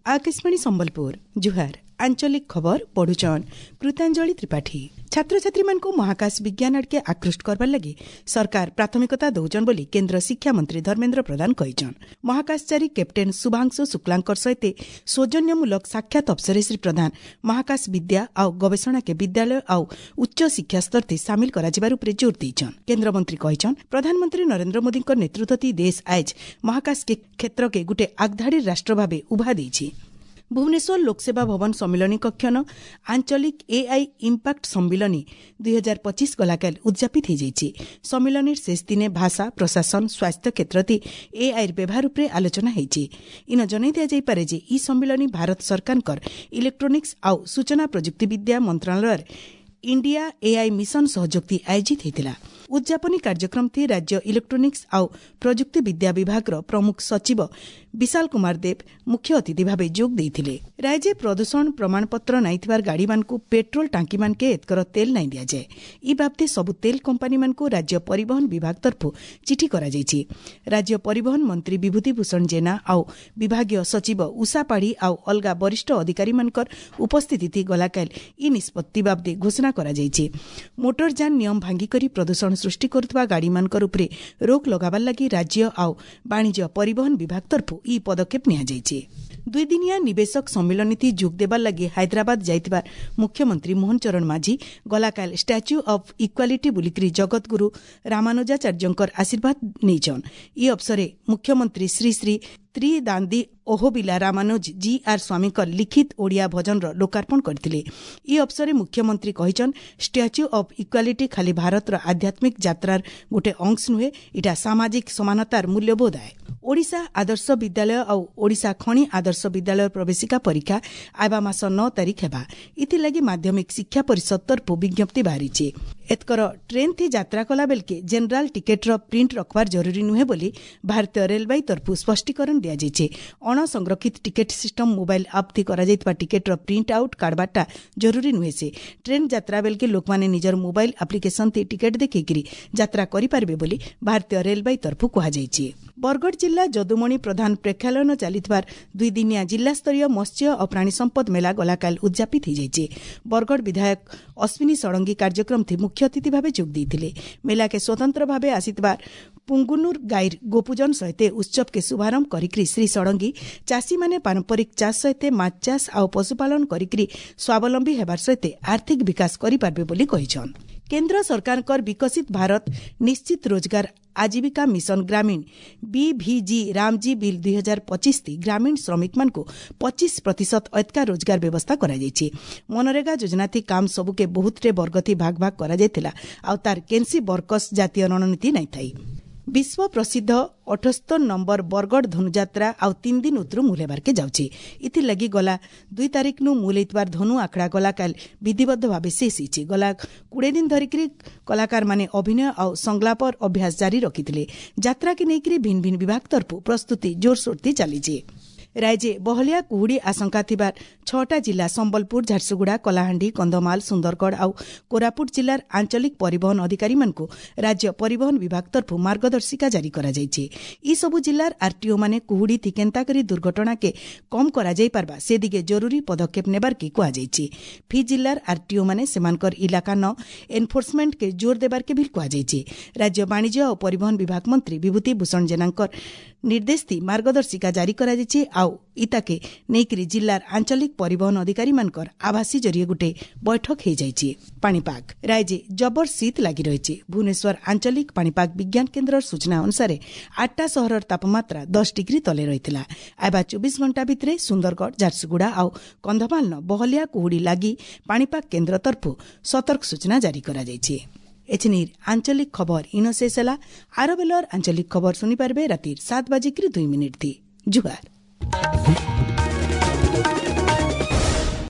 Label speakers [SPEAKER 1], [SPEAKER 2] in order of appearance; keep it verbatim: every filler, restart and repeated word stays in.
[SPEAKER 1] ଆକାଶବାଣୀ ସମ୍ବଲପୁର ଜୁହାର ଆଞ୍ଚଳିକ ଖବର ପଢୁଛନ୍ କୃତାଞ୍ଜଳି ତ୍ରିପାଠୀ ଛାତ୍ରଛାତ୍ରୀମାନଙ୍କୁ ମହାକାଶ ବିଜ୍ଞାନ ଆଡ଼କେ ଆକୃଷ୍ଟ କରବାର ଲାଗି ସରକାର ପ୍ରାଥମିକତା ଦଉଛନ୍ ବୋଲି କେନ୍ଦ୍ର ଶିକ୍ଷାମନ୍ତ୍ରୀ ଧର୍ମେନ୍ଦ୍ର ପ୍ରଧାନ କହିଛନ୍ ମହାକାଶଚାରୀ କ୍ୟାପ୍ଟେନ୍ ଶୁଭାଂଶୁ ଶୁକ୍ଲାଙ୍କର ସହିତ ସୌଜନ୍ୟମୂଳକ ସାକ୍ଷାତ ଅବସରରେ ଶ୍ରୀ ପ୍ରଧାନ ମହାକାଶ ବିଦ୍ୟା ଆଉ ଗବେଷଣାକେ ବିଦ୍ୟାଳୟ ଆଉ ଉଚ୍ଚ ଶିକ୍ଷା ସ୍ତରତେ ସାମିଲ କରାଯିବାର ଉପରେ ଜୋର ଦେଇଛନ୍ କେନ୍ଦ୍ରମନ୍ତ୍ରୀ କହିଛନ୍ ପ୍ରଧାନମନ୍ତ୍ରୀ ନରେନ୍ଦ୍ର ମୋଦୀଙ୍କ ନେତୃତ୍ୱ ଦେଶ ଆଏଜ ମହାକାଶ କ୍ଷେତ୍ରକେ ଗୁଟେ ଆଗଧାଡ଼ିର ରାଷ୍ଟ୍ର ଭାବେ ଉଭା ଦେଇଛି ଭୁବନେଶ୍ୱର ଲୋକସେବା ଭବନ ସମ୍ମିଳନୀ କକ୍ଷନ ଆଞ୍ଚଳିକ ଏଆଇ ଇମ୍ପାକ୍ଟ ସମ୍ମିଳନୀ ଦୁଇ ହଜାର ପଚିଶ ଗଲାକାଲି ଉଦ୍ଯାପିତ ହୋଇଯାଇଛି ସମ୍ମିଳନୀର ଶେଷ ଦିନେ ଭାଷା ପ୍ରଶାସନ ସ୍ୱାସ୍ଥ୍ୟ କ୍ଷେତ୍ରତି ଏଆଇର ବ୍ୟବହାର ଉପରେ ଆଲୋଚନା ହୋଇଛି ଇନ ଜଣାଇ ଦିଆଯାଇପାରେ ଯେ ଇ ସମ୍ମିଳନୀ ଭାରତ ସରକାରଙ୍କର ଇଲେକ୍ଟ୍ରୋନିକ୍ସ ଆଉ ସୂଚନା ପ୍ରଯୁକ୍ତିବିଦ୍ୟା ମନ୍ତ୍ରଣାଳୟର ଇଣ୍ଡିଆ ଏଆଇ ମିଶନ ସହଯୋଗତି ଆୟୋଜିତ ହୋଇଥିଲା ଉଦ୍ଯାପନୀ କାର୍ଯ୍ୟକ୍ରମଟି ରାଜ୍ୟ ଇଲେକ୍ଟ୍ରୋନିକ୍ସ ଆଉ ପ୍ରଯୁକ୍ତିବିଦ୍ୟା ବିଭାଗର ପ୍ରମୁଖ ସଚିବ ବିଶାଲ କୁମାର ଦେବ ମୁଖ୍ୟ ଅତିଥି ଭାବେ ଯୋଗ ଦେଇଥିଲେ ରାଜ୍ୟ ପ୍ରଦୂଷଣ ପ୍ରମାଣପତ୍ର ନାଇଥିବାର ଗାଡ଼ିମାନଙ୍କୁ ପେଟ୍ରୋଲ ଟାଙ୍କିମାନକେ ଏତକର ତେଲ ନାଇଁ ଦିଆଯାଏ ଇ ବାବଦେ ସବୁ ତେଲ କମ୍ପାନୀମାନଙ୍କୁ ରାଜ୍ୟ ପରିବହନ ବିଭାଗ ତରଫରୁ ଚିଠି କରାଯାଇଛି ରାଜ୍ୟ ପରିବହନ ମନ୍ତ୍ରୀ ବିଭୂତି ଭୂଷଣ ଜେନା ଆଉ ବିଭାଗୀୟ ସଚିବ ଉଷା ପାଢ଼ୀ ଆଉ ଅଲଗା ବରିଷ୍ଠ ଅଧିକାରୀମାନଙ୍କର ଉପସ୍ଥିତି ଗଲାକାଲି ଇ ନିଷ୍ପତ୍ତି ବାବଦେ ଘୋଷଣା କରାଯାଇଛି ମୋଟରଯାନ ନିୟମ ଭାଙ୍ଗିକରି ପ୍ରଦୂଷଣ ସୃଷ୍ଟି କରୁଥିବା ଗାଡ଼ିମାନଙ୍କର ଉପରେ ରୋକ୍ ଲଗାବାର ଲାଗି ରାଜ୍ୟ ଆଉ ବାଣିଜ୍ୟ ପରିବହନ ବିଭାଗ ତରଫରୁ ଇ ପଦକ୍ଷେପ ନିଆଯାଇଛି ଦୁଇଦିନିଆ ନିବେଶକ ସମ୍ମିଳନୀତି ଯୋଗ ଦେବାର ଲାଗି ହାଇଦ୍ରାବାଦ ଯାଇଥିବା ମୁଖ୍ୟମନ୍ତ୍ରୀ Mohan Charan Majhi ଗଲାକାଲି statue of equality ବୁଲିକରି ଜଗତଗୁରୁ ରାମାନୁଜାଚାର୍ଯ୍ୟଙ୍କର ଆଶୀର୍ବାଦ ନେଇଛନ୍ ଇ ଅବସରେ ମୁଖ୍ୟମନ୍ତ୍ରୀ ଶ୍ରୀ ଶ୍ରୀ ତ୍ରିଦାନ୍ଦୀ ଓହୋବିଲା ରାମାନୁଜ ଜି ଆର୍ ସ୍ୱାମୀଙ୍କ ଲିଖିତ ଓଡ଼ିଆ ଭଜନର ଲୋକାର୍ପଣ କରିଥିଲେ ଇ ଅବସରେ ମୁଖ୍ୟମନ୍ତ୍ରୀ କହିଛନ୍ ଷ୍ଟାଚ୍ୟୁ ଅଫ୍ ଇକ୍ୱାଲିଟି ଖାଲି ଭାରତର ଆଧ୍ୟାତ୍ମିକ ଯାତ୍ରାର ଗୋଟେ ଅଂଶ ନୁହେଁ ଇଟା ସାମାଜିକ ସମାନତାର ମୂଲ୍ୟବୋଧ ଆଏ ଓଡ଼ିଶା ଆଦର୍ଶ ବିଦ୍ୟାଳୟ ଆଉ ଓଡ଼ିଶା ଖଣି ଆଦର୍ଶ ବିଦ୍ୟାଳୟ ପ୍ରବେଶିକା ପରୀକ୍ଷା ଆଇବା ମାସ ନଅ ତାରିଖ ହେବା ଏଥିଲାଗି ମାଧ୍ୟମିକ ଶିକ୍ଷା ପରିଷଦ ତରଫରୁ ବିଜ୍ଞପ୍ତି ବାହାରିଛି ଏତକର ଟ୍ରେନ୍ ଥି ଯାତ୍ରା କଲା ବେଲକେ ଜେନେରାଲ ଟିକେଟ୍ର ପ୍ରିଣ୍ଟ ରଖବାର ଜରୁରୀ ନୁହେଁ ବୋଲି ଭାରତୀୟ ରେଲବାଇ ତରଫରୁ ସ୍ପଷ୍ଟୀକରଣ ଦିଆଯାଇଛି ଅଣସଂରକ୍ଷିତ ଟିକେଟ୍ ସିଷ୍ଟମ ମୋବାଇଲ ଆପ୍ ଥି କରାଯାଇଥିବା ଟିକେଟ୍ର ପ୍ରିଣ୍ଟ ଆଉଟ୍ କାଢ଼ବାରଟା ଜରୁରୀ ନୁହେଁ ସେ ଟ୍ରେନ୍ ଯାତ୍ରା ବେଲକେ ଲୋକମାନେ ନିଜର ମୋବାଇଲ ଆପ୍ଲିକେସନ୍ ଥି ଟିକେଟ୍ ଦେଖେଇକିରି ଯାତ୍ରା କରିପାରିବେ ବୋଲି ଭାରତୀୟ ରେଲବାଇ ତରଫରୁ କୁହାଯାଇଛି ବରଗଡ଼ ଜିଲ୍ଲା ଯଦୁମଣି ପ୍ରଧାନ ପ୍ରେକ୍ଷାଳୟନ ଚାଲିଥିବାର ଦୁଇଦିନିଆ ଜିଲ୍ଲାସ୍ତରୀୟ ମତ୍ସ୍ୟ ଓ ପ୍ରାଣୀ ସମ୍ପଦ ମେଳା ଗଲାକାଲି ଉଦ୍ଯାପିତ ହୋଇଯାଇଛି ବରଗଡ଼ ବିଧାୟକ ଅଶ୍ୱିନୀ ଷଡ଼ଙ୍ଗୀ କାର୍ଯ୍ୟକ୍ରମଥି ମୁଖ୍ୟ ଅତିଥି ଭାବେ ଯୋଗ ଦେଇଥିଲେ ମେଳାକେ ସ୍ୱତନ୍ତ୍ର ଭାବେ ଆସିଥିବା ପୁଙ୍ଗୁନୁର ଗାଈର ଗୋପୂଜନ ସହିତ ଉତ୍ସବକେ ଶୁଭାରମ୍ଭ କରିକି ଶ୍ରୀ ଷଡ଼ଙ୍ଗୀ ଚାଷୀମାନେ ପାରମ୍ପରିକ ଚାଷ ସହିତ ମାଛ ଚାଷ ଆଉ ପଶୁପାଳନ କରିକି ସ୍ୱାବଲମ୍ବୀ ହେବାର ସହିତ ଆର୍ଥିକ ବିକାଶ କରିପାରିବେ ବୋଲି କହିଛନ୍ କେନ୍ଦ୍ର ସରକାରଙ୍କର ବିକଶିତ ଭାରତ ନିଶ୍ଚିତ ରୋଜଗାର ଆଜୀବିକା ମିଶନ ଗ୍ରାମୀଣ বিভিଜି ରାମଜୀ ବିଲ୍ ଦୁଇ ହଜାର ପଚିଶ ଗ୍ରାମୀଣ ଶ୍ରମିକମାନଙ୍କୁ ପଚିଶ ପ୍ରତିଶତ ଅତ୍କା ରୋଜଗାର ବ୍ୟବସ୍ଥା କରାଯାଇଛି ମନରେଗା ଯୋଜନାଥି କାମ ସବୁକେ ବହୁତଟେ ବର୍ଗଥି ଭାଗ ଭାଗ କରାଯାଇଥିଲା ଆଉ ତାର କେନ୍ସି ବର୍କସ ଜାତୀୟ ରଣନୀତି ନାଇଁ ଥାଇ ବିଶ୍ୱ ପ୍ରସିଦ୍ଧ ଅଠସ୍ତର ନମ୍ବର ବରଗଡ଼ ଧନୁଯାତ୍ରା ଆଉ ତିନି ଦିନ ଉତରୁ ମୂଲ ହେବାର୍କେ ଯାଉଛି ଏଥିର୍ଲାଗି ଗଲା ଦୁଇ ତାରିଖନୁ ମୂଲ ହେଇଥିବାର ଧନୁ ଆଖଡ଼ା ଗଲାକାଲି ବିଧିବଦ୍ଧ ଭାବେ ଶେଷ ହେଇଛି ଗଲା କୋଡ଼ିଏ ଦିନ ଧରିକିରି କଳାକାରମାନେ ଅଭିନୟ ଆଉ ସଂଳାପର ଅଭ୍ୟାସ ଜାରି ରଖିଥିଲେ ଯାତ୍ରାକେ ନେଇକରି ଭିନ୍ନ ଭିନ୍ନ ବିଭାଗ ତରଫରୁ ପ୍ରସ୍ତୁତି ଜୋରସୋରତି ଚାଲିଛି ରାଜ୍ୟେ ବହଳିଆ କୁହୁଡ଼ି ଆଶଙ୍କା ଥିବାର ଛଅଟା ଜିଲ୍ଲା ସମ୍ବଲପୁର ଝାରସୁଗୁଡ଼ା କଳାହାଣ୍ଡି କନ୍ଧମାଳ ସୁନ୍ଦରଗଡ଼ ଆଉ କୋରାପୁଟ ଜିଲ୍ଲାର ଆଞ୍ଚଳିକ ପରିବହନ ଅଧିକାରୀମାନଙ୍କୁ ରାଜ୍ୟ ପରିବହନ ବିଭାଗ ତରଫରୁ ମାର୍ଗଦର୍ଶିକା ଜାରି କରାଯାଇଛି ଏସବୁ ଜିଲ୍ଲାର ଆର୍ଟିଓମାନେ କୁହୁଡ଼ି ଥି କେନ୍ତା କରି ଦୁର୍ଘଟଣାକେ କମ୍ କରାଯାଇପାରବା ସେ ଦିଗେ ଜରୁରୀ ପଦକ୍ଷେପ ନେବାର୍କେ କୁହାଯାଇଛି ଫି ଜିଲ୍ଲାର ଆର୍ଟିଓମାନେ ସେମାନଙ୍କର ଇଲାକା ନ ଏନ୍ଫୋର୍ସମେଣ୍ଟକେ ଜୋର ଦେବାର୍କେ ବି କୁହାଯାଇଛି ରାଜ୍ୟ ବାଣିଜ୍ୟ ଓ ପରିବହନ ବିଭାଗ ମନ୍ତ୍ରୀ ବିଭୂତି ଭୂଷଣ ଜେନାଙ୍କର ନିର୍ଦ୍ଦେଶ ଥି ମାର୍ଗଦର୍ଶିକା ଜାରି କରାଯାଇଛି ଆଉ ଇତାକେ ନେଇକରି ଜିଲ୍ଲାର ଆଞ୍ଚଳିକ ପରିବହନ ଅଧିକାରୀମାନଙ୍କର ଆଭାସୀ ଜରିଏ ଗୋଟେ ବୈଠକ ହୋଇଯାଇଛି ପାଣିପାଗ ରାଜ୍ୟେ ଜବର ଶୀତ ଲାଗି ରହିଛି ଭୁବନେଶ୍ୱର ଆଞ୍ଚଳିକ ପାଣିପାଗ ବିଜ୍ଞାନ କେନ୍ଦ୍ରର ସୂଚନା ଅନୁସାରେ ଆଠଟା ସହରର ତାପମାତ୍ରା ଦଶ ଡିଗ୍ରୀ ତଲେ ରହିଥିଲା ଆଇବା ଚବିଶ ଘଣ୍ଟା ଭିତରେ ସୁନ୍ଦରଗଡ଼ ଝାରସୁଗୁଡ଼ା ଆଉ କନ୍ଧମାଳନ ବହଲିଆ କୁହୁଡ଼ି ଲାଗି ପାଣିପାଗ କେନ୍ଦ୍ର ତରଫରୁ ସତର୍କ ସୂଚନା ଜାରି କରାଯାଇଛି ଏଛିନିର ଆଞ୍ଚଳିକ ଖବର ଇନ ଶେଷ ହେଲା ଆର ବେଲର ଆଞ୍ଚଳିକ ଖବର ଶୁଣିପାରିବେ ରାତିର ସାତ ବାଜିକିରି ଦୁଇ ମିନିଟ୍ ଥି ଜୁହାର